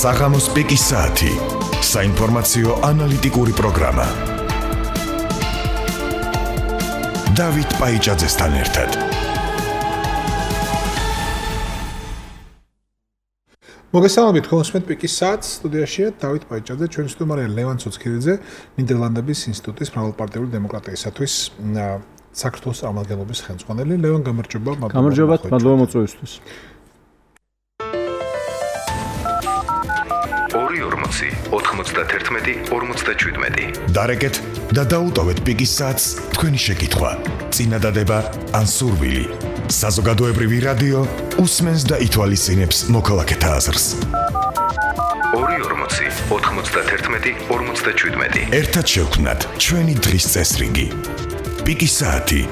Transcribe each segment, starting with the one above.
საღამოს პიკის საათი. საინფორმაციო ანალიტიკური პროგრამა. დავით პაიჭაძესთან ერთად. მოგესალმებით, ხომსმეთ პიკის საათს, სტუდიაშია დავით პაიჭაძე, ჩვენი სტუმარია ლევან ცოცხიძე, ნიდერლანდების ინსტიტუტის მრავალპარტიული დემოკრატიისათვის საქართველოს წარმომადგენლობის ხელმძღვანელი. ლევან, გამარჯობა, მადლობა მოწვევისთვის. 2.40-91-47. დარეკეთ და დაუტოვეთ პიკის საათს თქვენი შეკითხვა, წინადადება ან სურვილი. საზოგადოებრივი რადიო უსმენს და ითვალისწინებს მოქალაქეთა აზრს. 2.40-91-47. ერთად შევქმნათ ჩვენი დღის წესრიგი. პიკის საათი.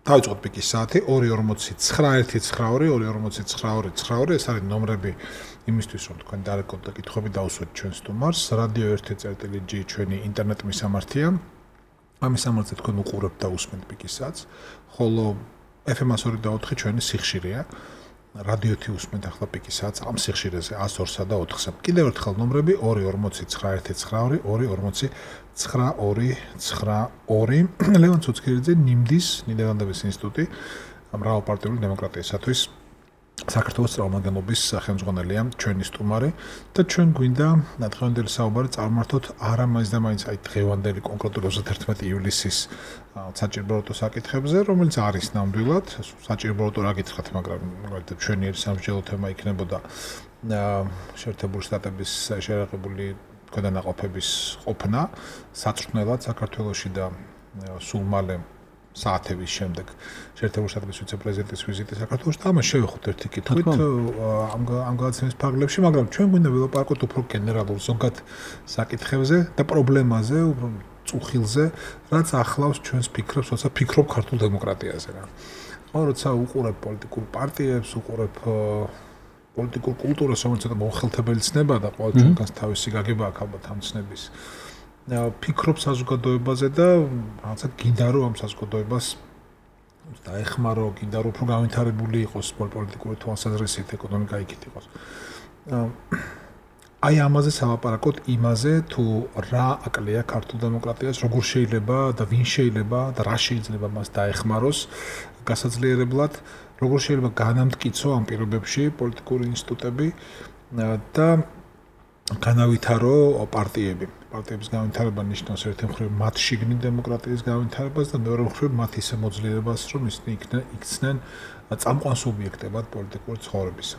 დავიწყოთ პიკის საათი 2.40-91-92-2.40-92-92. ეს არის ნომრები იმისთვის, რომ თქვენ დარეკოთ და კითხვები დაუსვათ ჩვენ სტუმარს. რადიო 1.G ჩვენი ინტერნეტ მისამართია. ამ მისამართზე თქვენ უყურებთ და უსმენთ პიკის საათს, ხოლო FM 102.4 ჩვენი სიხშირეა. რადიოთი უსმენთ ახლა პიკის საათს ამ სიხშირეზე 102-სა და 4-სა. კიდევ ერთხელ ნომრები 2.40-91-92-2.40-92. ლევან ცოცხიძე, ნიმდის ნიდერლანდების ინსტიტუტი მრავალპარტიული დემოკრატიისათვის საქართველოს წარმომადგენლობის ხელმძღვანელია, ჩვენი სტუმარი და ჩვენ გვინდა დღევანდელი საუბარი წარმართოთ არა მაინც და მაინც აი დღევანდელი კონკრეტულად 31 ივლისის საჭიროებრივ საკითხებზე, რომელიც არის ნამდვილად საჭიროებრივ რა გითხრათ, მაგრამ ჩვენი სამსჯელო თემა იქნებოდა შეერთებული შტატების შეერაღებული ქვედანაყოფების ყოფნა საწვრთნელად საქართველოში და სულ მალე საათების შემდეგ შეერთებული შტატების ვიცე-პრეზიდენტის ვიზიტი საქართველოში და ამას შევეხოთ ერთი კითხვით ამ გადაცემის ფარგლებში, მაგრამ ჩვენ გვინდა ველაპარაკოთ უფრო გენერალურ ზოგად საკითხებზე და პრობლემაზე, წუხილზე, რაც ახლავს ჩვენს ფიქრებს, როცა ფიქრობ ქართულ დემოკრატიაზე რა. როცა უყურებ პოლიტიკურ პარტიებს, უყურებ პოლიტიკურ კულტურას, რომელიც ცოტა მოხელთებელი ცნება და ყოველ ჩვენგანს თავისი გაგება აქვს ალბათ ამ ცნების. ფიქრობ საზოგადოებაზე და რაღაცა გინდა რომ ამ საზოგადოებას დაეხმარო, გინდა რომ უფრო განვითარებული იყოს პოლიტიკური თვალსაზრისით, ეკონომიკა იქით იყოს. აი ამაზე სალაპარაკოთ, იმაზე თუ რა აკლია ქართულ დემოკრატიას, როგორ შეიძლება და ვინ შეიძლება და რა შეიძლება მას დაეხმაროს გასაძლიერებლად, როგორ შეიძლება განამტკიცო ამ პირობებში პოლიტიკური ინსტიტუტები და განავითარო პარტიების განვითარება ნიშნავს ერთი მხრივ მათ შიგნით დემოკრატიის განვითარებას და მეორე მხრივ მათ ისე მოძლიერებას, რომ ისინი იქცნენ წამყვან სუბიექტებად პოლიტიკური ცხოვრებისა.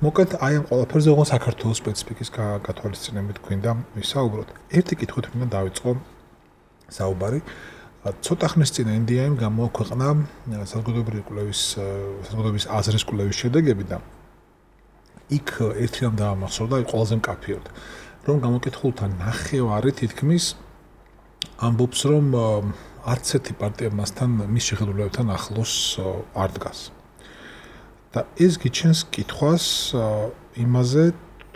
მოკლედ აი ამ ყველაფერზე ოღონდ საქართველოს სპეციფიკის გათვალისწინებით გვინდა ვისაუბროთ. ერთი კითხვით მინდა დავიწყო საუბარი. ცოტა ხნის წინ NDI-მ გამოაქვეყნა საზოგადოების აზრის კვლევის შედეგები და იქ ერთი რამ დაამახსოვრდა, აი ყველაზე მკაფიოდ, რომ გამოკითხულთა ნახევარი თითქმის ამბობს, რომ არც ერთი პარტია მასთან მის შეხედულებებთან ახლოს არ დგას. და ეს გიჩენს კითხვას იმაზე,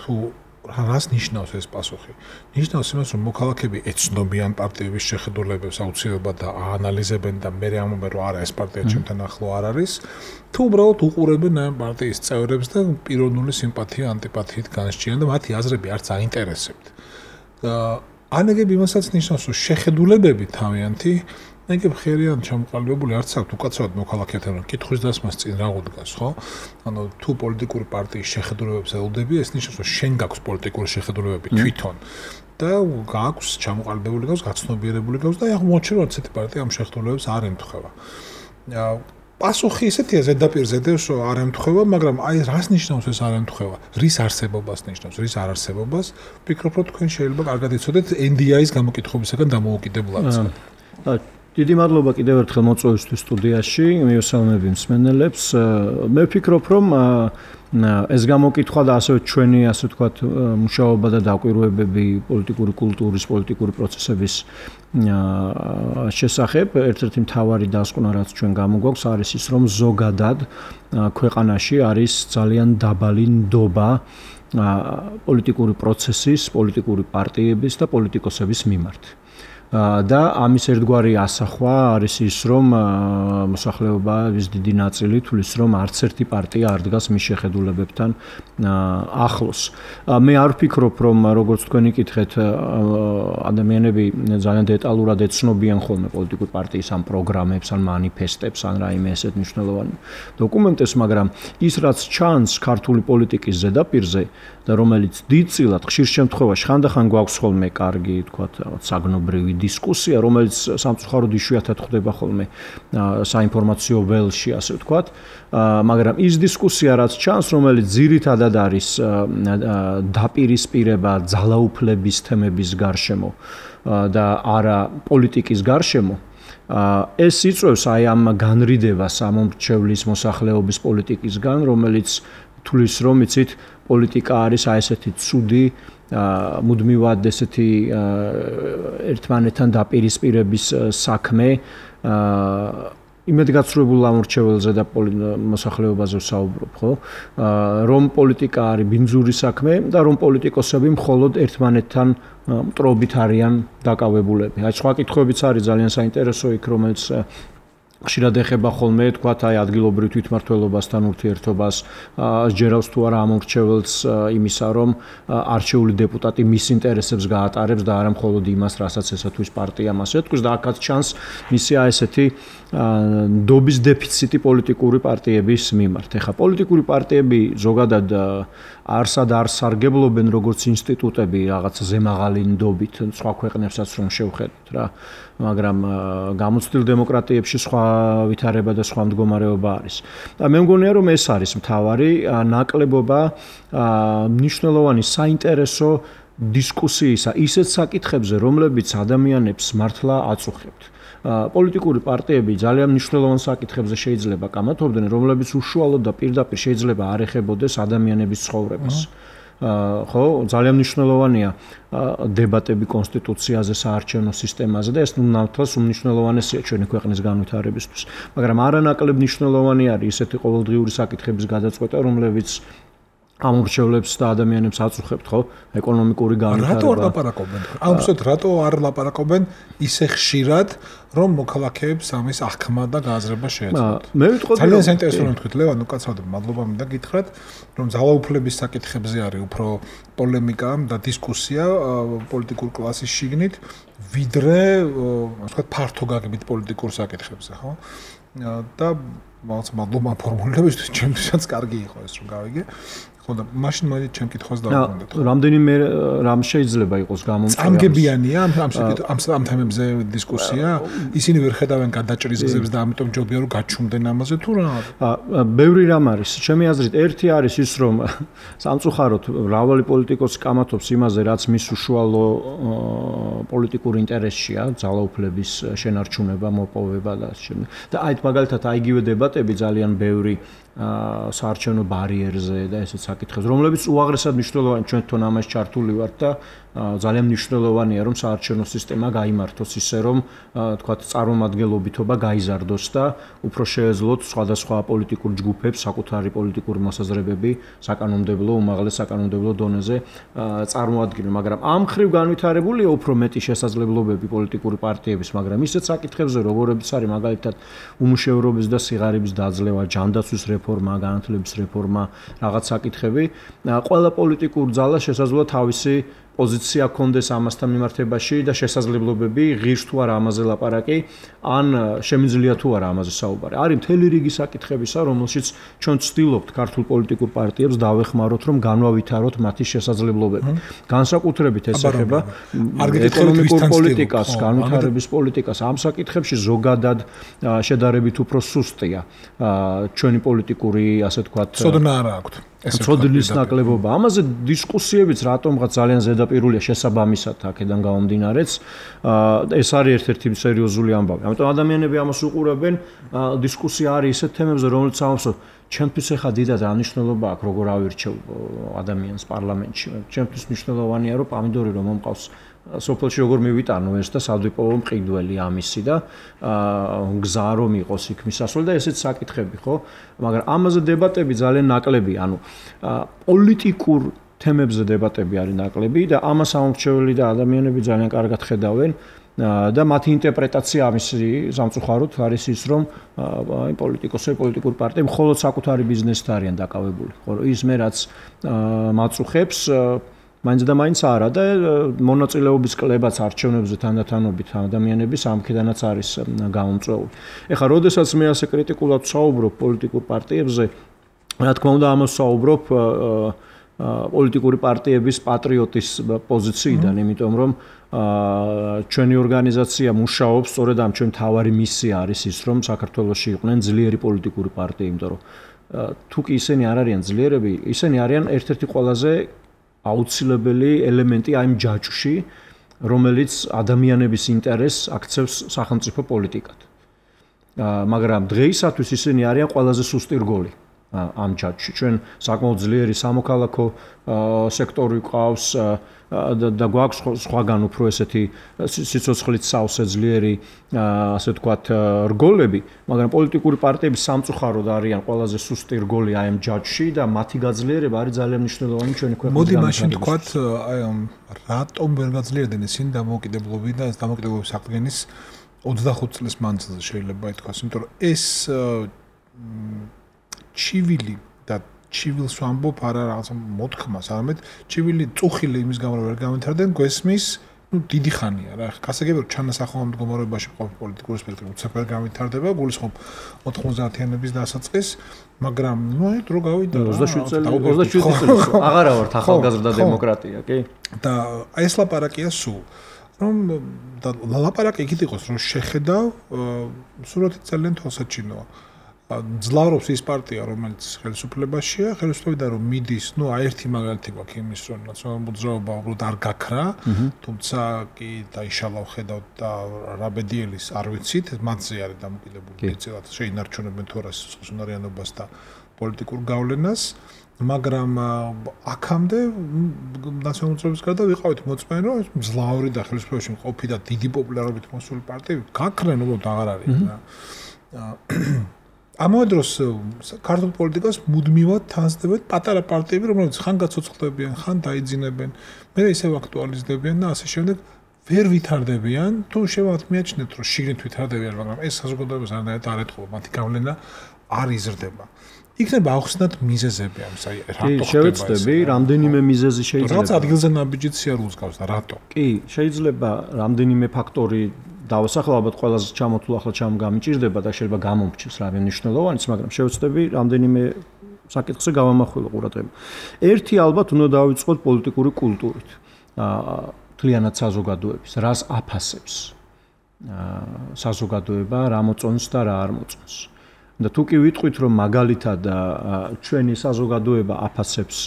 თუ რას ნიშნავს ეს პასუხი. ნიშნავს იმას, რომ მოქალაქეები ეცნობიან პარტიების შეხედულებებს აუცილებლად და აანალიზებენ და მე ამბობენ, რომ არა ეს პარტია ჩემთან ახლო არ არის, თუ უბრალოდ უყურებენ ამ პარტიის წევრებს და პიროვნული სიმპათია, ანტიპათიით განსჯიან და მათი აზრები არც აინტერესებთ. ანეგები იმასაც ნიშნავს, რომ შეხედულებები თავიანთი ეგ ხერიან ჩამოყალიბებული არც აქვს უკაცრავად მოქალაქეებთან კითხვის დასმას წინ რა უდგას, ხო? ანუ თუ პოლიტიკური პარტიის შეხედულებებს ელოდები, ეს ნიშნავს, რომ შენ გაქვს პოლიტიკური შეხედულებები თვითონ და გაქვს ჩამოყალიბებული გაქვს, გაცნობიერებული გაქვს და აი აღმოჩნდა, რომ ასეთი პარტია ამ შეხედულებებს არ ემთხვევა. პასუხი ისეთია ზედაპირზე დევს, რომ არ ემთხვევა, მაგრამ აი რას ნიშნავს ეს არ ემთხვევა? რის არსებობას ნიშნავს, რის არ არსებობას? ვფიქრობ, რომ თქვენ შეიძლება კარგად იცოდეთ NDI-ის გამოკითხებისგან დამოუკიდებლად. დიდი მადლობა კიდევ ერთხელ მოწვევისთვის სტუდიაში, მივესალმები მსმენელებს. მე ვფიქრობ, რომ ეს გამოკითხვა და ასევე ჩვენი, ასე ვთქვათ, მუშაობა და დაკვირვებები პოლიტიკური კულტურის, პოლიტიკური პროცესების შესახებ, ერთ-ერთი მთავარი დასკვნა, რაც ჩვენ გამოგვაქვს, არის ის, რომ ზოგადად ქვეყანაში არის ძალიან დაბალი ნდობა პოლიტიკური პროცესის, პოლიტიკური პარტიების და პოლიტიკოსების მიმართ. და ამის ერთგვარი ასახვა არის ის, რომ მოსახლეობის დიდი ნაწილი თulis რომ არც ერთი პარტია არ დგას მის შეხედულებებთან ახლოს. მე არ ვფიქრობ, რომ როგორც თქვენი კითხეთ, ადამიანები ძალიან დეტალურად ეცნობიან ხოლმე პოლიტიკურ პარტიის ამ პროგრამებს, ან მანიფესტებს, ან რაიმე ესეთ მნიშვნელოვანი დოკუმენტებს, მაგრამ ის რაც ჩანს ქართული პოლიტიკის ზედაპირზე და რომელიც დიდწილად ხშირ შემთხვევაში ხანდახან გვაქვს ხოლმე კარგი, თქვათ, საგნობრივი დისკუსია, რომელიც სამწუხაროდ იშვიათად ხდება ხოლმე საინფორმაციო ველში, ასე ვთქვათ, მაგრამ ის დისკუსია რაც ჩანს, რომელიც ძირითადად არის დაპირისპირება ძალაუფლების თემების გარშემო და არა პოლიტიკის გარშემო, ეს იწვევს აი ამ განრიდებას ამომრჩევლის მოსახლეობის პოლიტიკისგან, რომელიც თulis რომ იცით პოლიტიკა არის აი ესეთი ცუდი მუდმივად ესეთი ერთმანეთთან დაპირისპირების საქმე იმედგაცრუებულ ამორჩეველზე და მოსახლეობაზე ვსაუბრობ, ხო? რომ პოლიტიკა არის ბინძური საქმე და რომ პოლიტიკოსები მხოლოდ ერთმანეთთან მტრობით არიან დაკავებულები. აი სხვა კითხვებიც არის ძალიან საინტერესო იქ, რომელიც ხშირად ეხება ხოლმე, თქვათ, აი ადგილობრივ თვითმმართველობასთან ურთიერთობას, ჯერავს თუ არა ამორჩეველს იმისა, რომ არჩეული დეპუტატი მის ინტერესებს გაატარებს და არა მხოლოდ იმას, რასაც ესათვის პარტიამ ასე თქვის და აქაც ჩანს მისი აი ესეთი ნდობის დეფიციტი პოლიტიკური პარტიების მიმართ. ეხლა პოლიტიკური პარტიები ზოგადად არსად არ სარგებლობენ როგორც ინსტიტუტები რაღაც ზემაღალი ნდობით, სხვა ქვეყნებსაც რომ შევხედოთ რა, მაგრამ გამოცდილ დემოკრატიებში სხვა ვითარება და სხვა მდგომარეობა არის. და მე მგონია რომ ეს არის მთავარი ნაკლებობა მნიშვნელოვანი საინტერესო დისკუსიისა ისეთ საკითხებზე, რომლებიც ადამიანებს მართლა აწუხებთ. პოლიტიკური პარტიები ძალიან მნიშვნელოვან საკითხებზე შეიძლება კამათობდნენ, რომლებიც უშუალოდ და პირდაპირ შეიძლება არ ეხებოდეს ადამიანების ცხოვრებას. ხო, ძალიან მნიშვნელოვანია დებატები კონსტიტუციაზე, საარჩევნო სისტემაზე და ეს ნამდვილად უმნიშვნელოვანესია ჩვენი ქვეყნის განვითარებისთვის. მაგრამ არანაკლებ მნიშვნელოვანი არის ისეთი ყოველდღიური საკითხების გადაწყვეტა, რომლებიც ამორჩევლებს და ადამიანებს აწუხებთ, ხო? ეკონომიკური განვითარება. რატო არ ლაპარაკობენ? აუცილებლად რატო არ ლაპარაკობენ ისე ხშირად, რომ მოქალაქეებს ამის აღქმა და გააზრება შეეძლოთ? მე ვიტყოდი, ძალიან საინტერესო რომ თქვით, ლევან, უკაცრავად მადლობა მინდა გითხრათ, რომ ძალაუფლების საკითხებზე არის უფრო პოლემიკა და დისკუსია პოლიტიკურ კლასის შიგნით, ვიდრე, ასე ვთქვათ, ფართო გაგებით პოლიტიკურ საკითხებზე, ხო? და მადლობა ფორმულირებისთვის, ჩემთვისაც კარგი იყო ეს რომ გავიგე. ხო და მაშინ მაგით ჩემ კითხვას დავუკვირდეთ. რამდენიმე რამ შეიძლება იყოს გამომწვევი? წამგებიანია ამ თემებზე დისკუსია? ისინი ვერ ხედავენ გადაჭრის გზებს და ამიტომ ჯობია რომ გაჩუმდნენ ამაზე თუ რა? ბევრი რამ არის. ჩემი აზრით, ერთი არის ის, რომ სამწუხაროდ მრავალი პოლიტიკოსი კამათობს იმაზე, რაც მის უშუალო პოლიტიკურ ინტერესშია, ძალაუფლების შენარჩუნება, მოპოვება და ასე შემდეგ. და აი მაგალითად აიგივე დებატები ძალიან ბევრი საარჩევნო barierზე და ესეც საკითხებს, რომლებიც უაღრესად მნიშვნელოვანი ჩვენ თვითონ ამას ჩართული ვართ და ძალიან მნიშვნელოვანია რომ საარჩევნო სისტემა გაიმართოს ისე რომ თქვათ წარმომადგენლობითობა გაიზარდოს და უფრო შეეძლოთ სხვადასხვა პოლიტიკურ ჯგუფებს საკუთარი პოლიტიკური მოსაზრებები საკანონმდებლო უმაღლეს საკანონმდებლო დონეზე წარმოადგენენ, მაგრამ ამ ხრივ განვითარებულია უფრო მეტი შესაძლებლობები პოლიტიკური პარტიების, მაგრამ ისეთ საკითხებზე როგორებიც არის მაგალითად უმუშევრობის და სიღარიბის დაძლევა, ჯანდაცვის რეფორმა, განათლების რეფორმა, რაღაც საკითხები, ყველა პოლიტიკურ ძალას შესაძლოა თავისი პოზიცია კონდეს ამასთან მიმართებაში და შესაძლებლობები ღირს თუ არა ამაზე ლაპარაკი, ან შემიძლია თუ არა ამაზე საუბარი. არის მთელი რიგი საკითხებისა, რომელშიც ჩვენ ვცდილობთ ქართულ პოლიტიკურ პარტიებს დავეხმაროთ, რომ განავითაროთ მათი შესაძლებლობები. განსაკუთრებით ეს ეხება ეკონომიკურ პოლიტიკას, განვითარების პოლიტიკას. ამ საკითხებში ზოგადად შედარებით უფრო სუსტია ჩვენი პოლიტიკური, ასე ვთქვათ, ცოდნა არა აქვთ. ცოდნის ნაკლებობა. ამაზე დისკუსიებიც რატომღაც ძალიან ზედაპირულია შესაბამისად აქედან გამომდინარეც. ეს არის ერთ-ერთი სერიოზული ამბავი. ამიტომ ადამიანები ამას უყურებენ, დისკუსია არის ისეთ თემებზე, რომელიც ამბობს, ჩემთვის ახლა დიდად ანიშნულობა აქვს, როგორ ავირჩევ ადამიანს პარლამენტში. ჩემთვის მნიშვნელოვანია, რომ პამიდორი რომ მომყავს სოფელში როგორ მივიტანო ეს და სადვიპოვო მყიდველი ამისი და გზა რომ იყოს იქ მისასვლელი და ესეც საკითხები, ხო? მაგრამ ამაზე დებატები ძალიან ნაკლები, ანუ პოლიტიკურ თემებზე დებატები არის ნაკლები და ამას ამორჩეველი და ადამიანები ძალიან კარგად ხედავენ. და მათი ინტერპრეტაცია ამისი სამწუხაროდ არის ის, რომ აი პოლიტიკური პარტიები მხოლოდ საკუთარი ბიზნესით არიან დაკავებული. ხო, ის მე რაც მაწუხებს მაინც და მაინც არა და მონაწილეობის კლებაც არჩევნებზე თანდათანობით ადამიანების ამქედანაც არის გამომწვეული. ეხლა როდესაც მე ასე კრიტიკულად ვსაუბრობ პოლიტიკურ პარტიებზე, რა თქმა უნდა ამას ვსაუბრობ პოლიტიკური პარტიების პატრიოტის პოზიციიდან, იმიტომ რომ ჩვენი ორგანიზაცია მუშაობს სწორედ ამ ჩვენ თავარი მისია არის ის, რომ საქართველოში იყვნენ ძლიერი პოლიტიკური პარტიები, იმიტომ რომ თუ კი ისინი არ არიან ძლიერები, ისინი არიან ერთ-ერთი ყველაზე აუცილებელი ელემენტი ამ ჯაჭვში, რომელიც ადამიანების ინტერესს აქცევს სახელმწიფო პოლიტიკად. მაგრამ დღეისათვის ისინი არიან ყველაზე სუსტი რგოლი ამ ჯაჭვში. ჩვენ საკმაოდ ძლიერი სამოქალაქო სექტორი გვყავს და გვაქვს სხვაგან უფრო ესეთი სიცოცხლით სავსე ძლიერი ასე ვთქვათ რგოლები, მაგრამ პოლიტიკური პარტიები სამწუხაროდ არიან ყველაზე სუსტი რგოლი აი ამ ჯაჭვში და მათი გაძლიერება არის ძალიან მნიშვნელოვანი ჩვენი ქვეყნის. მოდი მაშინ ვთქვათ, აი რატომ ვერ გაძლიერდნენ ისინი დამოუკიდებლობიდან და ეს დამოუკიდებლობის აღდგენის 25 წლის მანძილზე შეიძლება ითქვას, იმიტომ რომ ეს ჩივილი და ჩივილს ვამბობ არა რაღაცა მოთქმას, არამედ ჩივილი წუხილი იმის გამო რომ ვერ გამეთარდნენ, გვესმის, დიდი ხანია რა. გასაგებია რომ ჩანასახავ მდგომარეობაში ყოფილი პოლიტიკური სპექტრი უცებ ვერ გამეთარდება, გულისხმობ 90-იანების დასაწყის, მაგრამ აი დრო გავიდა 27 წელი აღარა ვართ ახალგაზრდა დემოკრატია, კი? და აი ეს ლაპარაკია სულ რომ და ლაპარაკი იქით იყოს რომ შეხედავ სურათი ძალიან თვალსაჩინოა. ძლავრობს ის პარტია, რომელიც ხელისუფლებაშია, ხელისუფლებიდან რომ მიდის, აი ერთი მაგალითი გვაქვს იმის, რომ ნაციონალური მოძრაობა უბრალოდ არ გაქრა, თუმცა კი დაიშალა ხედავთ და რაბედიელის არ ვიცით, მათზე არის დამოკიდებული ეცილად შეინარჩუნებენ თუ არა სიცოცხლიანობას და პოლიტიკურ გავლენას, მაგრამ აქამდე ნაციონალური მოძრაობის გარდა ვიყავით მოწმენი, რომ ძლავრი და ხელისუფლებაში მყოფი და დიდი პოპულარობით მოსული პარტიები გაქრენ, უბრალოდ აღარ არის რა. ამავე დროს ქართულ პოლიტიკას მუდმივად თანსდებენ პატარა პარტიები, რომლებიც ხან გაცოცხლდებიან, ხან დაიძინებენ, მე ისევ აქტუალიზდებიან და ასე შემდეგ ვერ ვითარდებიან, თუ შევათ მიაჩნდეთ, რომ შიგნით ვითარდებიან, მაგრამ ეს საზოგადოებას არანაირად არ ეთყობა, მათი გავლენა არ იზრდება. იქნება ახსნათ მიზეზები ამის, აი რატო ხდება ეს? შევეცდები, რამდენიმე მიზეზი შეიძლება. რაც ადგილზე ნაბიჯით სიარულს გავს და რატო? კი, შეიძლება რამდენიმე ფაქტორი დავასახელო, ალბათ ყველაზე ჩამოთულ ახლა ჩამგამიჭირდება და შეიძლება გამომრჩეს რა მნიშვნელოვანიც, მაგრამ შევეცდები რამდენიმე საკითხზე გავამახვილო ყურადღება. ერთი ალბათ უნდა დავიწყოთ პოლიტიკური კულტურით. მთლიანად საზოგადოების, რას აფასებს საზოგადოება, რა მოწონს და რა არ მოწონს. და თუ კი ვიტყვით, რომ მაგალითად ჩვენი საზოგადოება აფასებს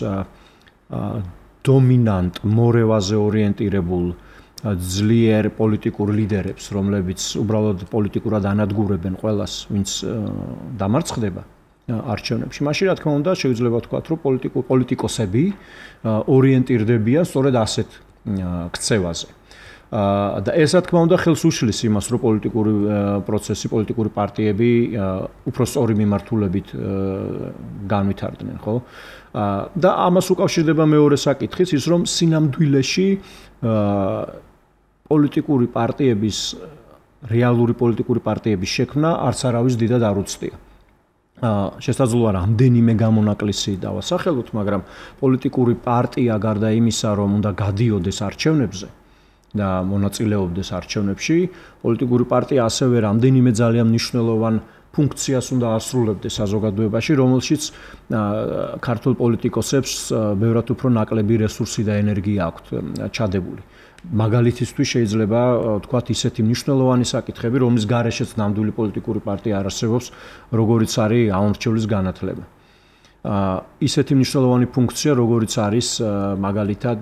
დომინანტ მორევაზე ორიენტირებულ ძლიერ პოლიტიკურ ლიდერებს, რომლებიც უბრალოდ პოლიტიკურად ანადგურებენ ყველას, ვინც დამარცხდება არჩევნებში. მაშინ რა თქმა უნდა, შეიძლება ვთქვათ, რომ პოლიტიკოსები ორიენტირდებიან სწორედ ასეთ ქცევაზე. და ეს რა თქმა უნდა ხელს უშლის იმას, რომ პოლიტიკური პროცესი, პოლიტიკური პარტიები უფრო სწორი მიმართულებით განვითარდნენ, ხო? და ამას უკავშირდება მეორე საკითხიც, ის რომ სინამდვილეში პოლიტიკური პარტიების რეალური პოლიტიკური პარტიების შექმნა არც არავის დიდად არ უცდია. შესაძლოა რამდენიმე გამონაკლისი დავასახელოთ, მაგრამ პოლიტიკური პარტია გარდა იმისა, რომ უნდა გადიოდეს არჩევნებზე და მონაწილეობდეს არჩევნებში, პოლიტიკური პარტია ასევე რამდენიმე ძალიან მნიშვნელოვან ფუნქციას უნდა ასრულებდეს საზოგადოებაში, რომელშიც ქართულ პოლიტიკოსებს ბევრად უფრო ნაკლები რესურსი და ენერგია აქვთ ჩადებული. მაგალითისთვის შეიძლება ვთქვათ ისეთი მნიშვნელოვანი საკითხები, რომლის გარეშეც ნამდვილი პოლიტიკური პარტია არ არსებობს, როგორიც არის ამორჩევლის განათლება. ისეთი მნიშვნელოვანი ფუნქცია, როგორიც არის მაგალითად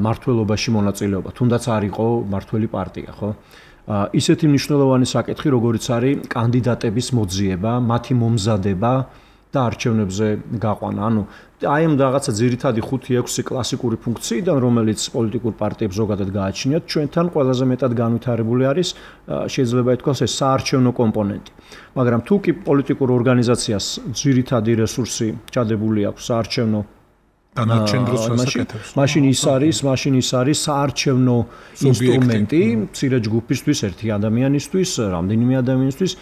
მართლობაში მონაწილეობა, თუნდაც არ იყო მართველი პარტია, ხო? ისეთი მნიშვნელოვანი საკითხი, როგორიც არის კანდიდატების მოძიება, მათი მომზადება და არჩევნებზე გაყვანა. ანუ აი ამ რაღაცა ძირითადი 5-6 კლასიკური ფუნქციიდან, რომელიც პოლიტიკურ პარტიებს ზოგადად გააჩნიათ, ჩვენთან ყველაზე მეტად განვითარებული არის, შეიძლება ითქვას, ეს საარჩევნო კომპონენტი. მაგრამ თუ კი პოლიტიკურ ორგანიზაციას ძირითადი რესურსი ჩადებული აქვს საარჩევნო დანარჩენ დროს ასაკეთებს. მაშინ ის არის საარჩევნო ინსტრუმენტი მცირე ჯგუფისთვის, ერთი ადამიანისთვის, რამდენიმე ადამიანისთვის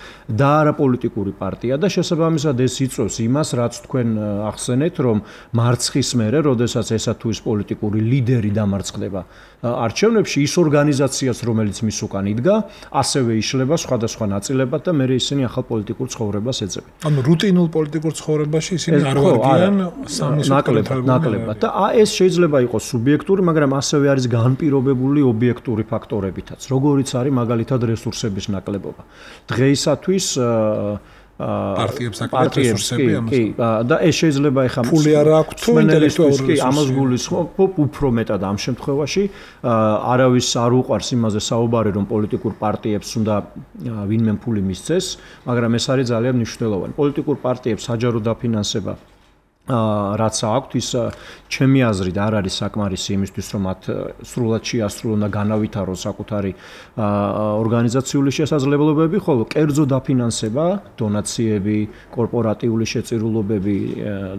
და არა პოლიტიკური პარტია და შესაბამისად ეს იწვევს იმას, რაც თქვენ ახსენეთ, რომ მარცხის მერე, როდესაც ესა თუ ის პოლიტიკური ლიდერი დამარცხდება არჩევნებში, ის ორგანიზაციაც, რომელიც მის უკან იდგა, ასევე იშლება სხვადასხვა ნაწილებად და მერე ისინი ახალ პოლიტიკურ ცხოვრებას ეძებენ. ანუ რუტინულ პოლიტიკურ ცხოვრებაში ისინი არ ვარგიან სამის ნაკლებად და ეს შეიძლება იყოს სუბიექტური, მაგრამ ასევე არის განპირობებული ობიექტური ფაქტორებითაც, როგორიც არის მაგალითად რესურსების ნაკლებობა. დღეისათვის პარტიებს აკეთებს რესურსები ამას. კი, და ეს შეიძლება ეხა ფული არ აქვს თუ ინტელექტუალური რესურსი. ამას გულისხმობ უფრო მეტად ამ შემთხვევაში არავის არ უყვარს იმაზე საუბარი, რომ პოლიტიკურ პარტიებს უნდა ვინმე ფული მისცეს, მაგრამ ეს არის ძალიან მნიშვნელოვანი. პოლიტიკურ პარტიებს საჯარო დაფინანსება რაც აქვთ, ის ჩემი აზრით არ არის საკმარისი იმისთვის, რომ მათ სრულად შეასრულონ და განავითარონ საკუთარი ორგანიზაციული შესაძლებლობები, ხოლო კერძო დაფინანსება, დონაციები, კორპორატიული შეწირულობები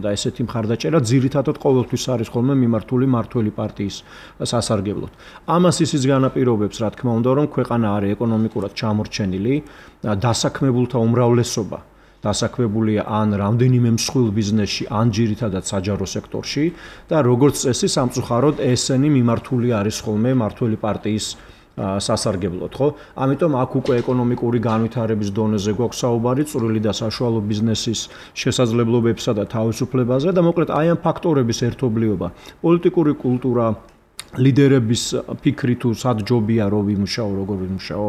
და ესეთი მხარდაჭერა ძირითადად ყოველთვის არის ხოლმე მიმართული მართველი პარტიის სასარგებლოდ. ამას ისიც განაპირობებს, რა თქმა უნდა, რომ ქვეყანა არის ეკონომიკურად ჩამორჩენილი, დასაქმებულთა უმრავლესობა დასაქმებულია ან რამდენიმე მსხვილ ბიზნესში, ან ძირითადად საჯარო სექტორში და როგორც წესი სამწუხაროდ ესენი მიმართული არის ხოლმე მართველი პარტიის სასარგებლოდ, ხო? ამიტომ აქ უკვე ეკონომიკური განვითარების დონეზე გვაქვს საუბარი, წვრილი და საშუალო ბიზნესის შესაძლებლობებსა და თავისუფლებაზე და მოკლედ აი ამ ფაქტორების ერთობლიობა, პოლიტიკური კულტურა, ლიდერების ფიქრი თუ სად ჯობია რომ ვიმუშაო, როგორ ვიმუშაო,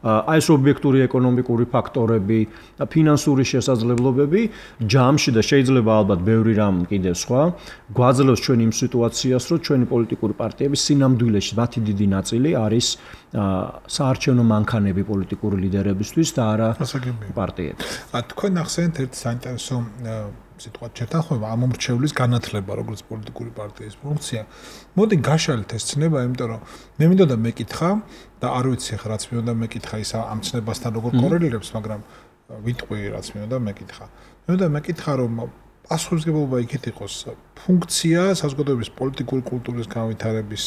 აი ეს ობიექტური ეკონომიკური ფაქტორები, ფინანსური შესაძლებლობები ჯამში და შეიძლება ალბათ ბევრი რამ კიდევ სხვა გვაძლევს ჩვენ იმ სიტუაციას, რომ ჩვენი პოლიტიკური პარტიების სინამდვილეში მათი დიდი ნაწილი არის საარჩევნო მანქანები პოლიტიკური ლიდერებისთვის და არა პარტიები. თქვენ ახსენეთ ერთ საინტერესო სიტყვად შეთანხმება ამომრჩევლის განათლება, როგორც პოლიტიკური პარტიის ფუნქცია. მოდი გაშალეთ ეს ცნება, იმიტომ რომ მე მინდოდა მეკითხა და არ ვიცი ხა რაც მინდოდა მეკითხა ის ამ ცნებასთან როგორ კორელირებს, მაგრამ ვიტყვი რაც მინდოდა მეკითხა. მინდოდა მეკითხა რომ პასუხისმგებლობა იქით იყოს ფუნქცია საზოგადოების პოლიტიკური კულტურის განვითარების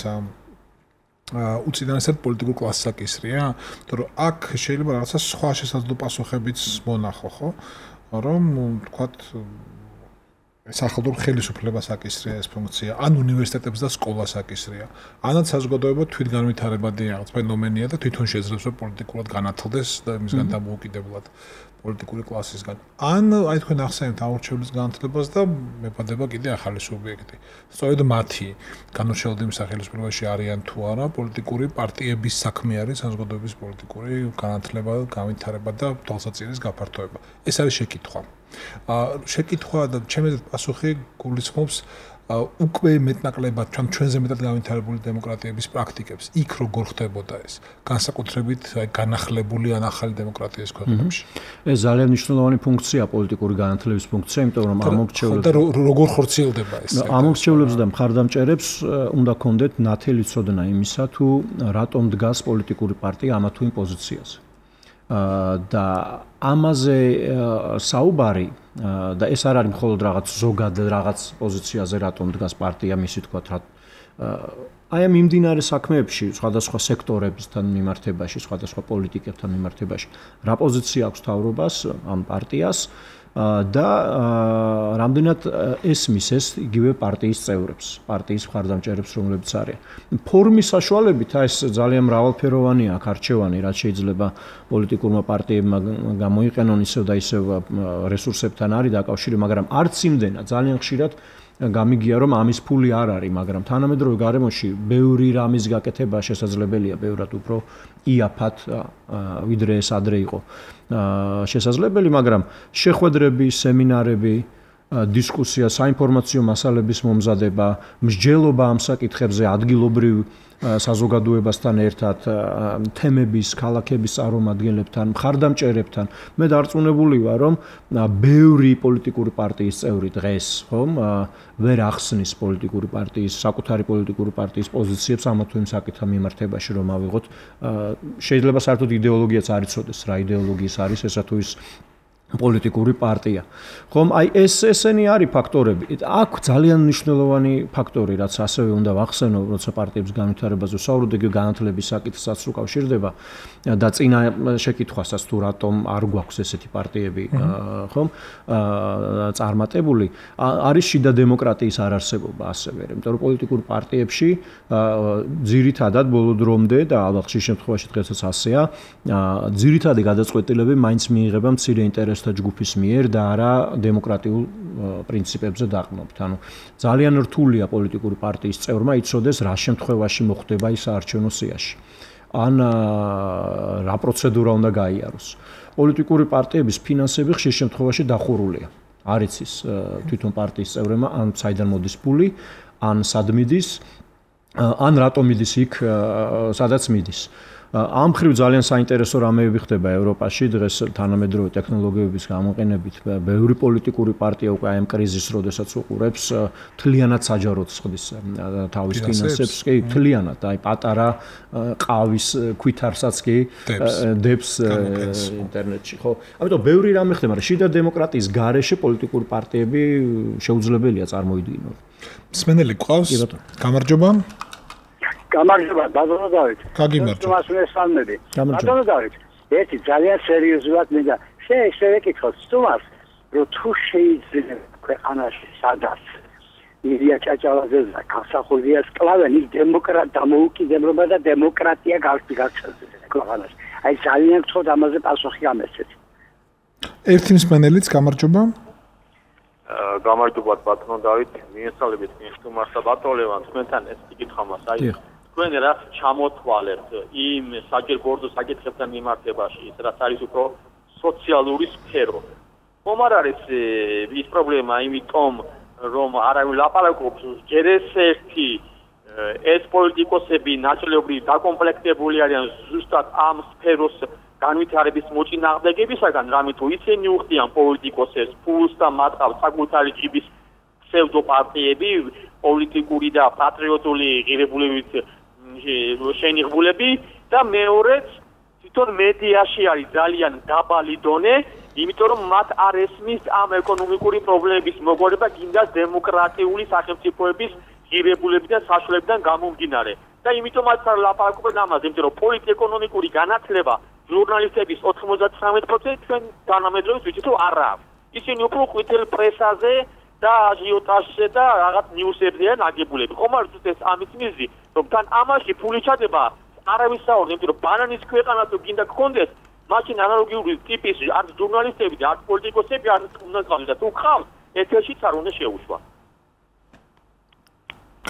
უწინარესად პოლიტიკურ კლასს აკისრია, იმიტომ რომ აქ შეიძლება რაღაცა სხვა შესაძლო პასუხებიც მონახო, ხო? რომ თქვათ სახელმწიფო ხელისუფლებას აკისრია ეს ფუნქცია, ან უნივერსიტეტებს და სკოლას აკისრია, ანაც საზოგადოება თვითგანვითარებადი რაღაც ფენომენია და თვითონ შეძლებს რომ პოლიტიკურად განათლდეს და იმისგან დამოუკიდებლად პოლიტიკური კლასისგან. ან აი თქვენ ახსენებთ ამორჩევლის განათლებას და მეფადება კიდე ახალი სუბიექტი. სწორედ მათი განურჩევლობის სახელმწიფოში არიან თუ არა პოლიტიკური პარტიების საქმე არის საზოგადოების პოლიტიკური განათლება, განვითარება და თვალსაჩინოს გაფართოება. ეს არის შეკითხვა. შეკითხვა და ჩემი პასუხი გულისხმობს უკვე მეტნაკლებად ჩვენზე მეტად განვითარებული დემოკრატიების პრაქტიკებს. იქ როგორ ხდებოდა ეს? განსაკუთრებით განახლებული ან ახალი დემოკრატიის ქვეყნებში. ეს ძალიან მნიშვნელოვანი ფუნქცია პოლიტიკური განათლების ფუნქცია, იმიტომ რომ ამორჩევლებს და როგორ ხორციელდება ეს? ამორჩევლებს და მხარდამჭერებს უნდა კონდეთ ნათელი ცოდნა იმისა, თუ რატომ დგას პოლიტიკური პარტია ამა თუ იმ პოზიციაზე. და ამაზე საუბარი და ეს არ არის მხოლოდ რაღაც ზოგად რაღაც პოზიციაზე რატომ დგას პარტია, მისი თქვა აი ამ მიმდინარე საქმეებში, სხვადასხვა სექტორებთან მიმართებაში, სხვადასხვა პოლიტიკებთან მიმართებაში, რა პოზიცია აქვს თავრობას ამ პარტიას და რამდენად ესმის ეს იგივე პარტიის წევრებს, პარტიის მხარდამჭერებს, რომლებიც არიან. ფორმის საშუალებით ეს ძალიან მრავალფეროვანია, აქ არჩევანი, რაც შეიძლება პოლიტიკურმა პარტიებმა გამოიყენონ ისევ და ისევ რესურსებთან არის დაკავშირი, მაგრამ არც იმდენად ძალიან ხშირად გამიგია რომ ამის ფული არ არის, მაგრამ თანამედროვე გარემოში ბევრი რამის გაკეთება შესაძლებელია, ბევრად უფრო იაფად ვიდრე ეს ადრე იყო შესაძლებელი, მაგრამ შეხვედრები, სემინარები, დისკუსია, საინფორმაციო მასალების მომზადება, მსჯელობა ამ საკითხებზე ადგილობრივ საზოგადოებასთან ერთად, თემების, ქალაქების წარმომადგენლებთან, მხარდამჭერებთან. მე დარწმუნებული ვარ, რომ ბევრი პოლიტიკური პარტიის წევრი დღეს, ხომ, ვერ ახსნის პოლიტიკური პარტიის, საკუთარი პოლიტიკური პარტიის პოზიციებს ამა თუ იმ საკითხთან მიმართებაში, რომ ავიღოთ. შეიძლება საერთოდ იდეოლოგიაც არ იცოდეს, რა იდეოლოგიის არის ესა თუ ის პოლიტიკური პარტია. ხომ აი ესენი არის ფაქტორები. აქ ძალიან მნიშვნელოვანი ფაქტორი, რაც ასევე უნდა ვახსენო, როცა პარტიების განვითარებაზე ვსაუბრობთ, იგი განათლების საკითხსაც უკავშირდება და წინა შეკითხვასაც თუ რატომ არ გვაქვს ესეთი პარტიები, ხომ? წარმატებული, არის შიდა დემოკრატიის არარსებობა ასევე, იმიტომ რომ პოლიტიკურ პარტიებში ძირითადად ბოლო დრომდე და ალბათ ხშირ შემთხვევაში დღესაც ასეა, ძირითადი გადაწყვეტილებები მაინც მიიღება მცირე ინტერესთა ჯგუფის მიერ და არა დემოკრატიულ პრინციპებზე დაყრდნობით. ანუ ძალიან რთულია პოლიტიკური პარტიის წევრმა იცოდეს რა შემთხვევაში მოხდება ის საარჩევნო სიაში. ან რა პროცედურა უნდა გაიაროს. პოლიტიკური პარტიების ფინანსები ხშირ შემთხვევაში დახურულია. არ იცის თვითონ პარტიის წევრებმა ან საიდან მოდის ფული, ან სად მიდის, ან რატომ მიდის იქ, სადაც მიდის. ამ ხრივ ძალიან საინტერესო რამეები ხდება ევროპაში დღეს თანამედროვე ტექნოლოგიების გამოყენებით. ბევრი პოლიტიკური პარტია უკვე ამ კრიზისს, როდესაც უყურებს, თლიანად საჯაროდ ხდის თავის ფინანსებს, კი, თლიანად, აი პატარა ყავის ქვითარსაც კი დებს ინტერნეტში, ხო? ამიტომ ბევრი რამე ხდება, მაგრამ შიდა დემოკრატიის გარეშე პოლიტიკური პარტიები შეუძლებელია წარმოვიდგინონ. მსმენელი გვყავს? გამარჯობა. გამარჯობა, ბატონო დავით. გაგიმარჯობა. ბატონო დავით, ერთი ძალიან სერიოზულად მინდა შევეკითხოთ სტუმარს, რომ თუ შეიძლება ქვეყანაში სადაც ილია ჭაჭალაძე და გამსახურდია სკლავენი დამოუკიდებლობა და დემოკრატია გაგრძელდეს ქვეყანაში. აი ძალიან გთხოვთ ამაზე პასუხი გამესცეთ. ერთი მსმენელიც გამარჯობა. გამარჯობა ბატონო დავით, მიესალმებით სტუმარს და ბატონო ლევან, თქვენთან ეს კითხვა მას აი თქვენ რაც ჩამოთვალებთ იმ საჯერბორდო საკითხებთან მიმართებაში, ის რაც არის უფრო სოციალური სფერო. ხომ არ არის ის პრობლემა იმიტომ, რომ არავინ ლაპარაკობს ჯერ ერთი ეს პოლიტიკოსები ნაწილობრივ დაკომპლექტებული არიან ზუსტად ამ სფეროს განვითარების მოწინააღმდეგებისაგან, რამე თუ ისინი უხდიან პოლიტიკოსებს ფულს და მათ ყავს საკუთარი ჯიბის ფსევდოპარტიები, პოლიტიკური და პატრიოტული ღირებულებით შენიღბულები და მეორეც თვითონ მედიაში არის ძალიან დაბალი დონე, იმიტომ რომ მათ არ ესმის ამ ეკონომიკური პრობლემების მოგვარება გინდა დემოკრატიული სახელმწიფოების ღირებულებიდან საშუალებიდან გამომდინარე. და იმიტომაც არ ლაპარაკობენ ამაზე, იმიტომ რომ პოლიტიკურ-ეკონომიკური განათლება ჟურნალისტების 99% ჩვენ თანამედროვე ვიცით რომ არ აქვს. ისინი უფრო ყვითელ პრესაზე და აჟიოტაჟზე და რაღაც ნიუსებზეა ნაგებულები. ხომ არ ზუსტ ეს ამის მიზეზი, რომ თან ამაში ფული ჩადება არავის საუბარ, იმიტომ რომ ბანანის ქვეყანა თუ გინდა გქონდეს, მაშინ ანალოგიური ტიპის არც ჟურნალისტები და არც პოლიტიკოსები არ უნდა გყავდეს და თუ ხავს, ეთერშიც არ უნდა შეუშვა.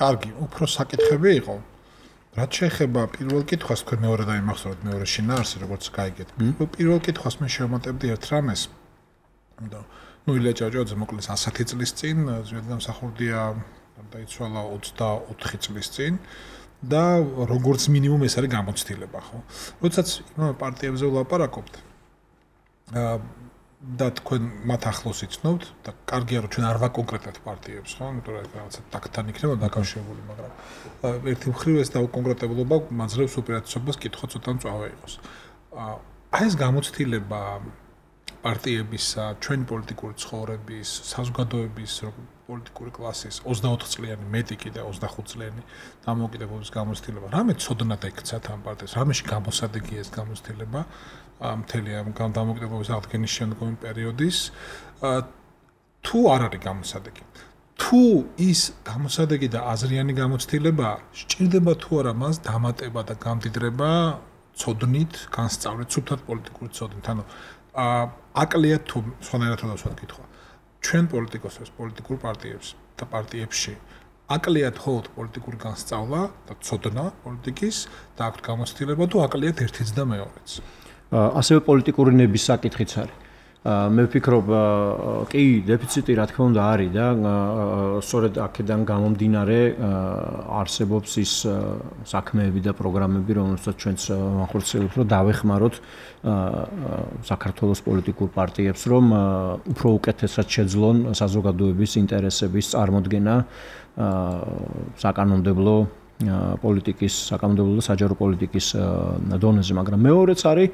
კარგი, უფრო საკითხები იყო. რაც შეეხება პირველ კითხვას, თქვენ მეორე დაიმახსოვრეთ მეორე შინაარსი, როგორც გაიგეთ. პირველ კითხვას მე შევამატებდი ერთ რამეს. და ილია ჭაჭალაძე მოკლედ 100 წლის წინ, ზედამსახურდია დაიცვალა 24 წლის წინ და როგორც მინიმუმ ეს არის გამოცდილება, ხო? როდესაც იმ პარტიებზე ვლაპარაკობთ, და თქვენ მათ ახლოს იცნობთ და კარგია რომ ჩვენ არ ვაკონკრეტებთ პარტიებს, ხო? იმიტომ რომ რაღაცა ტაქტთან იქნება დაკავშირებული, მაგრამ ერთი მხრივ ეს დაუკონკრეტებლობა მაძლევს უპირატესობას კითხვა ცოტა მწვავე იყოს. აი ეს გამოცდილება პარტიებისა, ჩვენი პოლიტიკური ცხოვრების, საზოგადოების პოლიტიკური კლასის 24 წლიანი, მეტი კიდე 25 წლიანი დამოუკიდებლობის გამოცდილება. რამე ცოდნად ექცათ ამ პარტიას, რამეში გამოსადეგია ეს გამოცდილება მთელი ამ დამოუკიდებლობის აღდგენის შემდგომი პერიოდის, თუ არ არის გამოსადეგი. თუ ის გამოსადეგი და აზრიანი გამოცდილება სჭირდება თუ არა მას დამატება და გამდიდრება ცოდნით, განსწავლით, სუფთად პოლიტიკური ცოდნით. ანუ აკლიათ თუ სხვანაირად დავსვათ კითხვა. ჩვენ პოლიტიკოსებს, პოლიტიკურ პარტიებს და პარტიებში აკლიათ ხოლმე პოლიტიკური განსწავლა და ცოდნა პოლიტიკის და აქვთ გამოცდილება თუ აკლიათ ერთიც და მეორეც. ასევე პოლიტიკური ნების საკითხიც არის. მე ვფიქრობ, კი, დეფიციტი რა თქმა უნდა არის და სწორედ აქედან გამომდინარე არსებობს ის საქმეები და პროგრამები, რომელსაც ჩვენც ვახორციელებთ, რომ დავეხმაროთ საქართველოს პოლიტიკურ პარტიებს, რომ უფრო უკეთესად შეძლონ საზოგადოების ინტერესების წარმოდგენა საკანონმდებლო პოლიტიკის, საკანონმდებლო და საჯარო პოლიტიკის დონეზე, მაგრამ მეორეც არის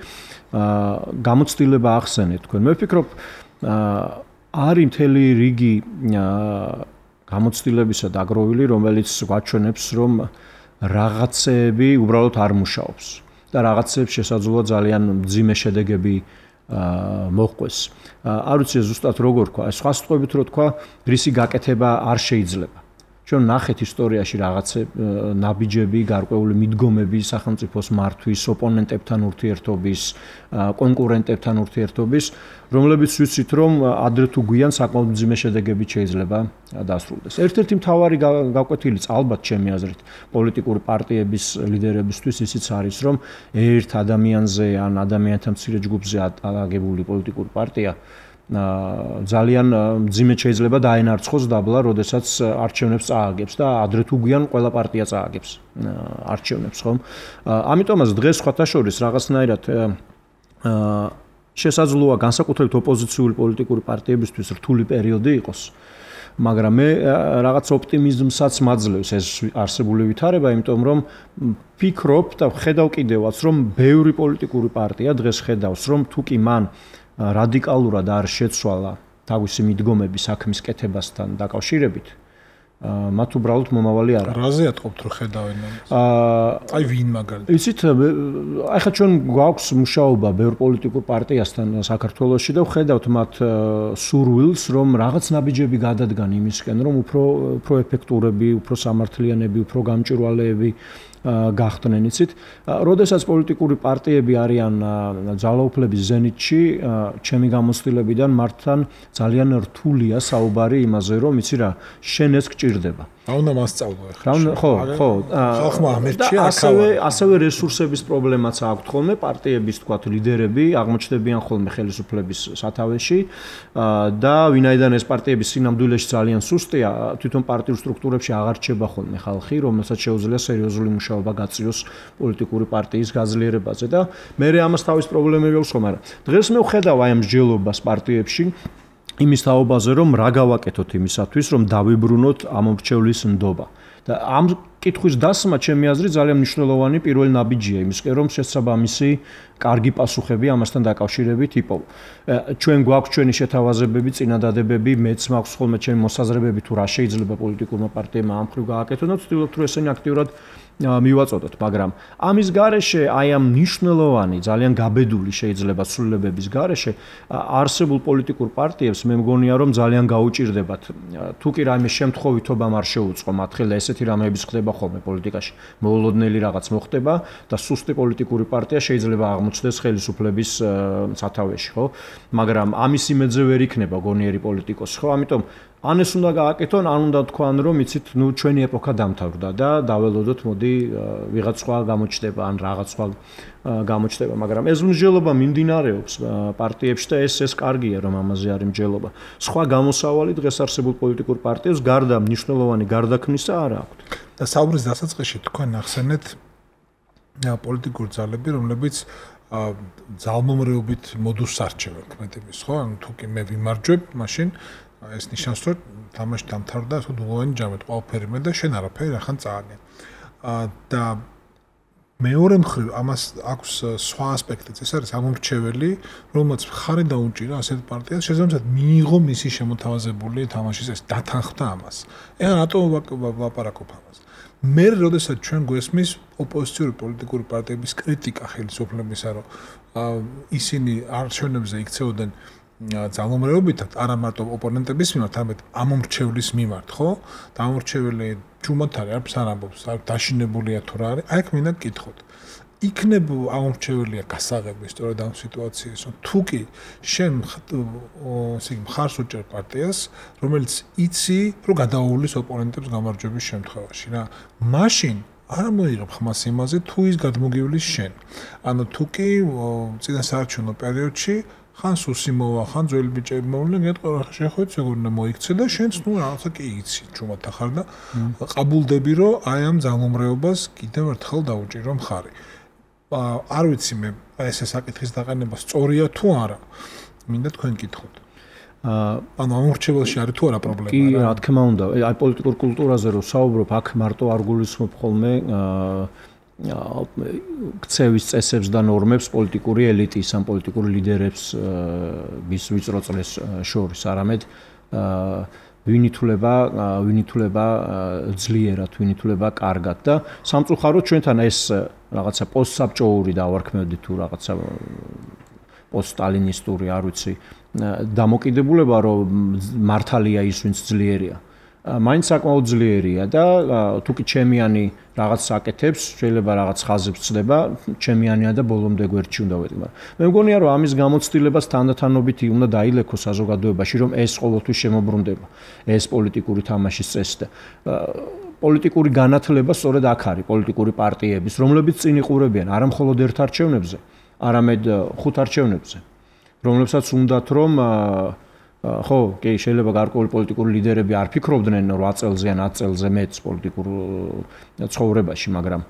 გამოცდილება ახსენეთ თქვენ. მე ვფიქრობ, არის მთელი რიგი გამოცდილებისა დაგროვილი, რომელიც გვაჩვენებს, რომ რაღაცეები უბრალოდ არ მუშაობს და რაღაცეებს შესაძლოა ძალიან მძიმე შედეგები მოჰყვეს. არ ვიცი ზუსტად როგორ თქვა, სხვა სიტყვებით რო თქვა, რისი გაკეთება არ შეიძლება. ჩვენ ნახეთ ისტორიაში რაღაცე ნაბიჯები, გარკვეული მიდგომები სახელმწიფოს მართვის, ოპონენტებთან ურთიერთობის, კონკურენტებთან ურთიერთობის, რომლებიც ვიცით, რომ ადრე თუ გვიან საკმაოდ მძიმე შედეგებით შეიძლება დასრულდეს. ერთ-ერთი მთავარი გაკვეთილიც ალბათ ჩემი აზრით, პოლიტიკური პარტიების ლიდერებისთვის ისიც არის, რომ ერთ ადამიანზე ან ადამიანთა მცირე ჯგუფზე აგებული პოლიტიკური პარტია ძალიან მძიმედ შეიძლება დაენარცხოს დაბლა, როდესაც არჩევნებს წააგებს და ადრე თუ გვიან ყველა პარტია წააგებს არჩევნებს, ხომ? ამიტომაც დღეს სხვათა შორის რაღაცნაირად შესაძლოა განსაკუთრებით ოპოზიციური პოლიტიკური პარტიებისთვის რთული პერიოდი იყოს, მაგრამ მე რაღაც ოპტიმიზმსაც მაძლევს ეს არსებული ვითარება, იმიტომ რომ ვფიქრობ და ხედავ კიდევაც, რომ ბევრი პოლიტიკური პარტია დღეს ხედავს, რომ თუ კი მან რადიკალურად არ შეცვალა თავისი მიდგომები საქმის კეთებასთან დაკავშირებით, მათ უბრალოდ მომავალი არ აქვს. რაზე ატყობთ რომ ხედავენ ამას? აი ვინ მაგალითად? იცით, ახლა ჩვენ გვაქვს მუშაობა ბევრ პოლიტიკურ პარტიასთან საქართველოში და ვხედავთ მათ სურვილს, რომ რაღაც ნაბიჯები გადადგან იმისკენ, რომ უფრო ეფექტურები, უფრო სამართლიანები, უფრო გამჭვირვალეები გახდნენ, იცით. როდესაც პოლიტიკური პარტიები არიან ძალაუფლების ზენიტში, ჩემი გამოცდილებიდან მართლან ძალიან რთულია საუბარი იმაზე, რომ იცი რა, შენ ეს გჭირდება. რა უნდა მასწავლო ახლა? ხო. ხალხმა ამერჩია ასევე რესურსების პრობლემაც აქვს ხოლმე, პარტიების თქვათ ლიდერები აღმოჩნდებიან ხოლმე ხელისუფლების სათავეში და ვინაიდან ეს პარტიების სინამდვილეში ძალიან სუსტია, თვითონ პარტიურ სტრუქტურებში აღარ რჩება ხოლმე ხალხი, რომელსაც შეუძლია სერიოზული მუშაობა გაწიოს პოლიტიკური პარტიის გაძლიერებაზე და მე ამას თავის პრობლემები აქვს, მაგრამ დღეს მე ვხედავ აი ამ მსჯელობას პარტიებში იმის თაობაზე, რომ რა გავაკეთოთ იმისათვის, რომ დავიბრუნოთ ამომრჩევლის ნდობა. და ამ კითხვის დასმა ჩემი აზრით ძალიან მნიშვნელოვანი პირველი ნაბიჯია იმისკენ, რომ შესაბამისი კარგი პასუხები ამასთან დაკავშირებით იპოვო. ჩვენ გვაქვს ჩვენი შეთავაზებები, წინადადებები, მეც მაქვს ხოლმე ჩემი მოსაზრებები თუ რა შეიძლება პოლიტიკურმა პარტიებმა ამ მხრივ გააკეთონ და ვცდილობთ რომ ესენი აქტიურად მივაწოდოთ, მაგრამ ამის გარეშე აი ამ მნიშვნელოვანი, ძალიან გაბედული შეიძლება ცვლილებების გარეშე არსებულ პოლიტიკურ პარტიებს მე მგონია რომ ძალიან გაუჭირდებათ. თუ კი რაიმე შემთხვევითობამ არ შეუწყო მათ ხელა, ესეთი რამეების ხდება ხოლმე პოლიტიკაში. მოულოდნელი რაღაც მოხდება და სუსტი პოლიტიკური პარტია შეიძლება აღმოჩნდეს ხელისუფლების სათავეში, ხო? მაგრამ ამის იმედზე ვერ იქნება გონიერი პოლიტიკოსი, ხო? ამიტომ ან ეს უნდა გააკეთონ, ან უნდა თქვან, რომ იცით, ნუ ჩვენი ეპოქა დამთავრდა და დაველოდოთ, მოდი ვიღაც სხვა გამოჩნდება, ან რაღაც სხვა გამოჩნდება, მაგრამ ეს მსჯელობა მიმდინარეობს პარტიებში და ეს კარგია, რომ ამაზე არის მსჯელობა. სხვა გამოსავალი დღეს არსებულ პოლიტიკურ პარტიებს გარდა მნიშვნელოვანი გარდაქმნისა არ აქვს. და საუბრის დასაწყისში თქვენ ახსენეთ პოლიტიკურ ძალები, რომლებიც ძალმომრეობით მოდულს არჩევენ ქმედების, ხო? ანუ თუ კი მე ვიმარჯვებ, მაშინ ეს ნიშნავს, რომ თამაში დამთავრდა, თუ დულოვანი ჯამეთ, ყველაფერი მე და შენ არაფერი რახან წააგენ. და მეორე მხრივ ამას აქვს სხვა ასპექტიც, ეს არის ამომრჩეველი, რომელმაც ხარი დაუჭირა ასეთ პარტიას, შესაბამისად მიიღო მისი შემოთავაზებული თამაშის ეს დათანხმდა ამას. ეხლა რატო ვაპარაკობ ამას? მე როდესაც ჩვენ გვესმის ოპოზიციური პოლიტიკური პარტიების კრიტიკა ხელისუფლებისა, რომ ისინი არჩევნებზე იქცეოდნენ ძალმომრეობითად, არა მარტო ოპონენტების მიმართ, არამედ ამომრჩევლის მიმართ, ხო? და ამომრჩეველი ჩუმად არის, არ ამბობს, დაშინებულია თუ რა არის, აი აქ მინდა გკითხოთ. იქნებ ამომრჩეველია გასაღები სწორედ ამ სიტუაციას, რომ თუ კი შენ მხარს უჭერ პარტიას, რომელიც იცი, რომ გადაუვლის ოპონენტებს გამარჯვების შემთხვევაში, რა. მაშინ არ მოიღებ ხმას იმაზე, თუ ის გადმოგივლის შენ. ანუ თუ კი წინასაარჩევნო პერიოდში ხან სუსიმოვა, ხან ძველი ბიჭები მოვლენ, გეტყვი შეხვეც როგორ უნდა მოიქცე და შენც ნუ რაღაცა კი იცი, ჩუმად ახარ და ყაბულდები, რომ აი ამ ძალმომრეობას კიდევ ერთხელ დაუჭირო მხარი. არ ვიცი მე ეს საკითხის დაყენება სწორია თუ არა. მინდა თქვენ კითხოთ. ანუ ამორჩეველში არის თუ არა პრობლემა? კი, რა თქმა უნდა. აი პოლიტიკურ კულტურაზე რო საუბრობ, აქ მარტო არ გულისხმობ ხოლმე ქცევის წესებს და ნორმებს პოლიტიკური ელიტის ან პოლიტიკური ლიდერებს მის ვიწრო წრეს შორის, არამედ ვინ ითვლება ძლიერად, ვინ ითვლება კარგად და სამწუხაროდ ჩვენთან ეს რაღაცა პოსტსაბჭოური დავარქმევდი თუ რაღაცა პოსტსტალინისტური, არ ვიცი, დამოკიდებულება, რომ მართალია ის, ვინც ძლიერია. მაინც საკმაოდ ძლიერია და თუკი ჩემიანი რაღაც აკეთებს, შეიძლება რაღაც ხაზებს ცდება, ჩემიანია და ბოლომდე გვერდში უნდა ვეტყვი. მე მგონია, რომ ამის გამოცდილებას თანდათანობით უნდა დაილექოს საზოგადოებაში, რომ ეს ყოველთვის შემოbrunდება, ეს პოლიტიკური თამაშის წესი და პოლიტიკური განათლება სწორედ აქ არის, პოლიტიკური პარტიების, რომლებიც წინ იყურებიან არა მხოლოდ ერთ არჩევნებზე, არამედ 5 არჩევნებზე, რომლებსაც უნდათ რომ ხო, კი, შეიძლება გარკვეული პოლიტიკური ლიდერები არ ფიქრობდნენ 8 წელზე ან 10 წელზე მეც პოლიტიკურ ცხოვრებაში, მაგრამ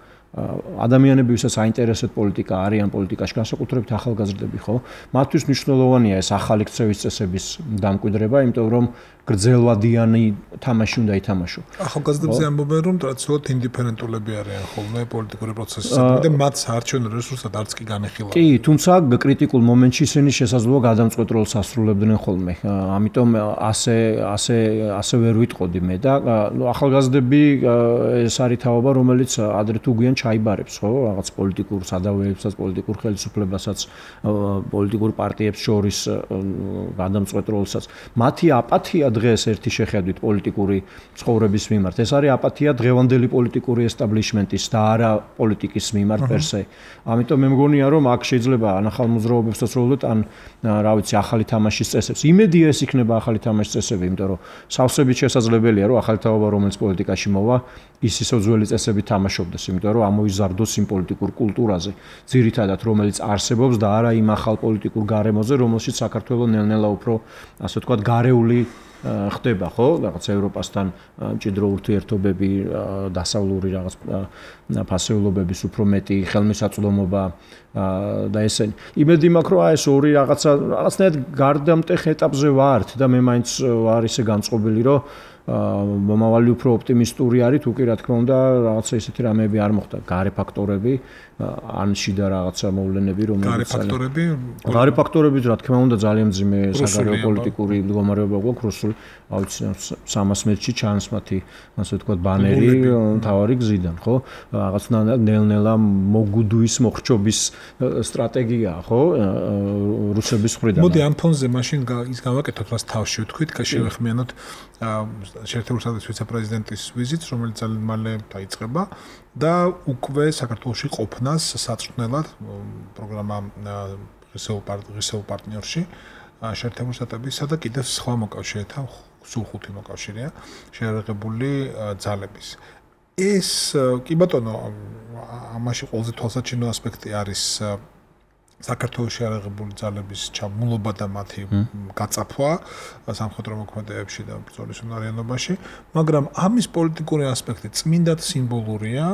ადამიანები, ვისაც აინტერესებთ პოლიტიკა, არიან პოლიტიკაში, განსაკუთრებით ახალგაზრდები, ხო? მათთვის მნიშვნელოვანია ეს ახალი ქცევის წესების დამკვიდრება, იმიტომ რომ გრძელვადიანი თამაში უნდა ითამაშო. ახალგაზრდებზე ამბობენ, რომ ტრადიციულად ინდიფერენტულები არიან ხოლმე პოლიტიკური პროცესისადმი და მათ საარჩევნო რესურსად არც კი განეხილავენ. კი, თუმცა კრიტიკულ მომენტში ისინი შესაძლოა გადამწყვეტ როლს ასრულებდნენ ხოლმე. ამიტომ ასე ვერ ვიტყოდი მე და ახალგაზრდები ეს არის თაობა, რომელიც ადრე თუ გვიან ჩაიბარებს, ხო? რაღაც პოლიტიკურ სადავეებსაც, პოლიტიკურ ხელისუფლებასაც, პოლიტიკურ პარტიებს შორის გადამწყვეტ როლსაც. მათი აპათია დღეს ერთი შეხედვით პოლიტიკური ცხოვრების მიმართ. ეს არის აპათია დღევანდელი პოლიტიკური ესტაბლიშმენტის და არა პოლიტიკის მიმართ პერსე. ამიტომ მე მგონია, რომ აქ შეიძლება ან ახალ მოძრაობებსაც როლდეთ, ან რა ვიცი, ახალი თამაშის წესებს. იმედია ეს იქნება ახალი თამაშის წესები, იმიტომ რომ სავსებით შესაძლებელია, რომ ახალი თაობა, რომელიც პოლიტიკაში მოვა, ის ისო ძველი წესებით თამაშობდეს, იმიტომ რომ ამოიზარდოს იმ პოლიტიკურ კულტურაზე, ძირითადად რომელიც არსებობს და არა იმ ახალ პოლიტიკურ გარემოზე, რომელშიც საქართველოს ნელ-ნელა უფრო, ასე ვთქვათ, გარეული ხდება, ხო? რაღაც ევროპასთან მჭიდრო ურთიერთობები, დასავლური რაღაც ფასეულობების უფრო მეტი ხელმისაწვდომობა და ესენი. იმედი მაქვს, რომ ეს ორი რაღაცნაირად გარდამტეხ ეტაპზე ვართ და მე მაინც ვარ ისე განწყობილი, რომ მომავალი უფრო ოპტიმისტური არის, თუ კი რა თქმა უნდა, რაღაცა ისეთი რამეები არ მოხდა, გარე ფაქტორები, ან შიდა რაღაცა მოვლენები, რომელიც გარე ფაქტორები, რა თქმა უნდა, ძალიან მძიმე საგარეო პოლიტიკური მდგომარეობა გვაქვს რუსული, ავიცი 300 მეტრში ჩანს მათი, ასე ვთქვათ, ბანერი მთავარი გზიდან, ხო? რაღაცნაირად ნელ-ნელა მოგუდვის მოხრჩობის სტრატეგიაა, ხო? რუსების მხრიდან. მოდი ამ ფონზე მაშინ ის გავაკეთოთ, რაც თავში ვთქვით, შევეხმიანოთ შეერთებული შტატების ვიცე-პრეზიდენტის ვიზიტს, რომელიც ძალიან მალე დაიწყება და უკვე საქართველოში ყოფნას საწვრთნელად პროგრამა ღირსეულ პარტნიორში შეერთებული შტატებისა და კიდევ სხვა მოკავშირეთა, სულ 5 მოკავშირეა შეერაღებული ძალების. ეს კი ბატონო, ამაში ყველაზე თვალსაჩინო ასპექტი არის საქართველოს შეერაღებული ძალების ჩამულობა და მათი გაწაფვა სამხედრო მოქმედებებში და ბრძოლის უნარიანობაში, მაგრამ ამის პოლიტიკური ასპექტი წმინდად სიმბოლურია,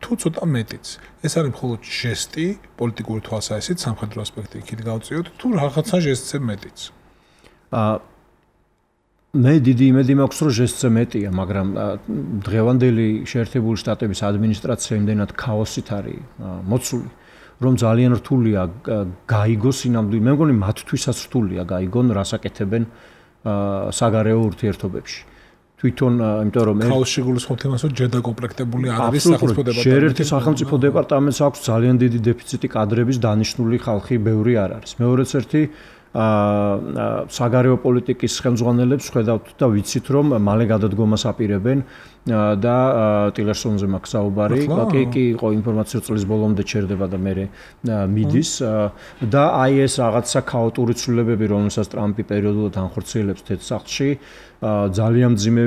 თუ ცოტა მეტიც. ეს არის მხოლოდ ჟესტი, პოლიტიკური თვალსაზრისით, სამხედრო ასპექტი იქით გავწიოთ, თუ რაღაცა ჟესტზე მეტიც. მე დიდი იმედი მაქვს, რომ ჟესტზე მეტია, მაგრამ დღევანდელი შეერთებული შტატების ადმინისტრაცია იმდენად ქაოსით არის მოცული, რომ ძალიან რთულია გაიგოს ინამდვილ, მე მგონი მათთვისაც რთულია გაიგონ, რას აკეთებენ საგარეო ურთიერთობებში. თვითონ, იმიტომ რომ ქაოსში გულისხმობთ იმას, რომ ჯერ დაკომპლექტებული არ არის სახელმწიფო დეპარტამენტი. ერთ-ერთი სახელმწიფო დეპარტამენტს აქვს ძალიან დიდი დეფიციტი კადრების, დანიშნული ხალხი ბევრი არ არის. მეორეც ერთი საგარეო პოლიტიკის ხელმძღვანელებს ხედავთ და ვიცით, რომ მალე გადადგომას აპირებენ და ტილერსონზე მაქვს საუბარი, კი იყო ინფორმაცია წლის ბოლომდე ჩერდება და მე მიდის და აი ეს რაღაცა ქაოტური ცვლილებები, რომელსაც ტრამპი პერიოდულად ანხორციელებს თეთრ-სახლში, ძალიან მძიმე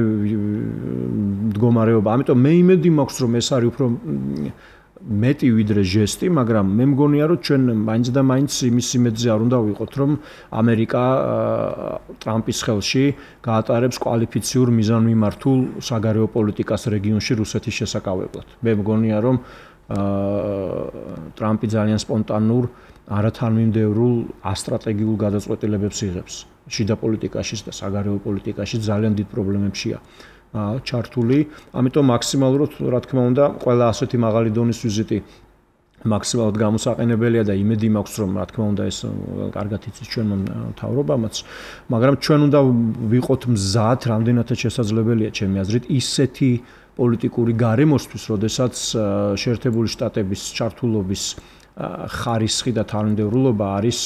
მდგომარეობა. ამიტომ მე იმედი მაქვს, რომ ეს არის უფრო მეტი ვიდრე ჟესტი, მაგრამ მე მგონია, რომ ჩვენ მაინც და მაინც იმის იმედზე არ უნდა ვიყოთ, რომ ამერიკა ტრამპის ხელში გაატარებს კვალიფიციურ მიზანმიმართულ საგარეო პოლიტიკას რეგიონში რუსეთის შესაკავებლად. მე მგონია, რომ ტრამპი ძალიან სპონტანურ, არათანმიმდევრულ ასტრატეგიულ გადაწყვეტილებებს იღებს შიდა პოლიტიკაშიც და საგარეო პოლიტიკაშიც ძალიან დიდ პრობლემებშია ჩართული. ამიტომ მაქსიმალურად, რა თქმა უნდა, ყველა ასეთი მაღალი დონის ვიზიტი მაქსიმალურად გამოსაყენებელია და იმედი მაქვს, რომ რა თქმა უნდა ეს კარგად იცის ჩვენმა მთავრობამაც, მაგრამ ჩვენ უნდა ვიყოთ მზად, რამდენადაც შესაძლებელია ჩემი აზრით, ისეთი პოლიტიკური გარემოსთვის, როდესაც შეერთებული შტატების ჩართულობის ხარისხი და თანმიმდევრულობა არის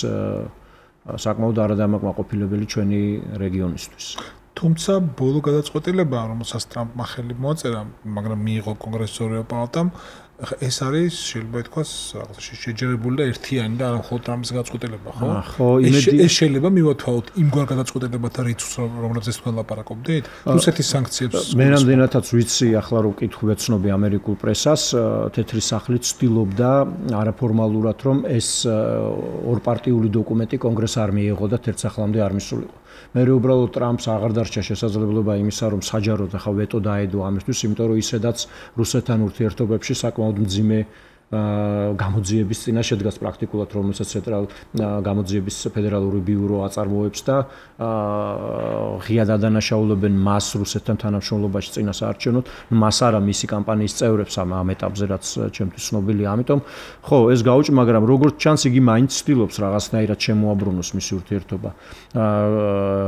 საკმაოდ არადამაკმაყოფილებელი ჩვენი რეგიონისთვის. თუმცა ბოლო გადაწყვეტილება, რომელსაც ტრამპმა ხელი მოაწერა, მაგრამ მიიღო კონგრესის ორეულ პალატამ, ეს არის შეიძლება ითქვას რაღაცაში შეჯერებული და ერთიანი და არა მხოლოდ ტრამპის გადაწყვეტილება, ხო? ხო, იმედი ეს შეიძლება მივათვალოთ იმგვარ გადაწყვეტილებათა რიცხვს, რომელზეც თქვენ ლაპარაკობდით? რუსეთის სანქციებს მე რამდენადაც ვიცი, ახლა რომ ვკითხულობ ამერიკულ პრესას, თეთრი სახლი ცდილობდა არაფორმალურად, რომ ეს ორპარტიული დოკუმენტი კონგრესს არ მიიღო და ერთ სახლამდე არ მისულიყო. მე უბრალოდ ტრამპს აღარ დარჩა შესაძლებლობა იმისა, რომ საჯაროდ ახლა ვეტო დაედო ამისთვის, იმიტომ რომ ისედაც რუსეთთან ურთიერთობებში საკმაოდ მძიმე გამოძიების წინაშე დგას პრაქტიკულად, რომელსაც გამოძიების ფედერალური ბიურო აწარმოებს და ღიად ადანაშაულებენ მას რუსეთთან თანამშრომლობაში წინა საარჩევნოდ, მას არა მისი კამპანიის წევრებს ამ ეტაპზე, რაც ჩემთვის ცნობილია. ამიტომ ხო, ეს გაუჭი, მაგრამ როგორც ჩანს, იგი მაინც ცდილობს რაღაცნაირად შემოაბრუნოს მისი ურთიერთობა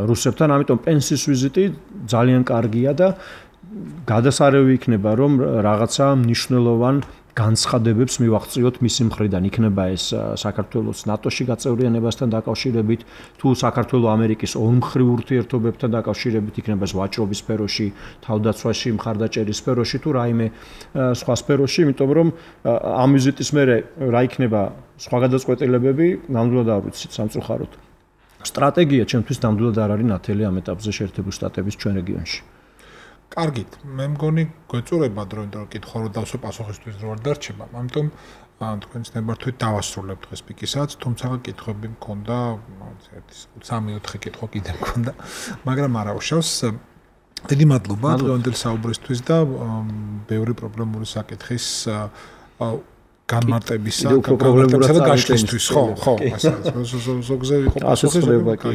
რუსებთან, ამიტომ პენსის ვიზიტი ძალიან კარგია და გადასარევი იქნება, რომ რაღაცა მნიშვნელოვან განცხადებებს მივაღწიოთ მისი მხრიდან. იქნება ეს საქართველოს ნატოში გაწევრიანებასთან დაკავშირებით, თუ საქართველოს ამერიკის ორმხრივ ურთიერთობებთან დაკავშირებით, იქნება ეს ვაჭრობის სფეროში, თავდაცვაში, მხარდაჭერის სფეროში თუ რაიმე სხვა სფეროში, იმიტომ რომ ამ ვიზიტის მერე რა იქნება სხვა გადაწყვეტილებები, ნამდვილად არ ვიცით სამწუხაროდ. სტრატეგია ჩემთვის ნამდვილად არ არის ნათელი ამ ეტაპზე შეერთებული შტატების ჩვენ რეგიონში. კარგით, მე მგონი გვეწურებათ, რომ კითხვა რომ დავსვე პასუხისთვის რო არ დარჩება. ამიტომ თქვენს ნებართვით დავასრულებთ დღეს პიკისაც, თუმცა კითხვები მქონდა, 1-3-4 კითხვა კიდე მქონდა, მაგრამ არა უშავს. დიდი მადლობა დღევანდელი საუბრისთვის და ბევრი პრობლემური საკითხის განმარტებისა და გაშლისთვის, ხო, ზოგზე იყო პასუხი,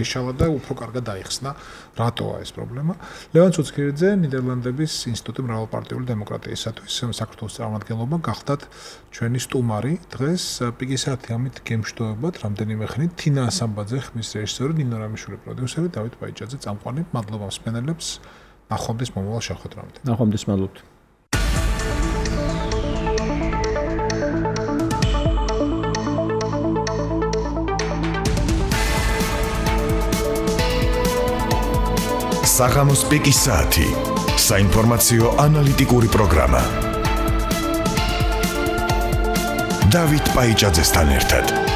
ისალა და უფრო კარგად დაიხსნა, რატოა ეს პრობლემა. ლევან ცუცქირიძე, ნიდერლანდების ინსტიტუტი მრავალპარტიული დემოკრატიისათვის საქართველოს წარმომადგენლობა გახდათ ჩვენი სტუმარი. დღეს პიკისათი ამით გემშვიდობებათ რამდენიმე ხნით. თინა ასამბაძე, ხმის რეჟისორი, ნინო რამიშვილი პროდიუსერი, დავით ბაიჭაძე წამყვანი. მადლობა მსმენელებს. ნახვამდის მომავალ შეხვედრამდე. ნახვამდის მადლობთ. საღამოს პიკის საათი. საინფორმაციო ანალიტიკური პროგრამა. დავით ბაიჭაძესთან ერთად.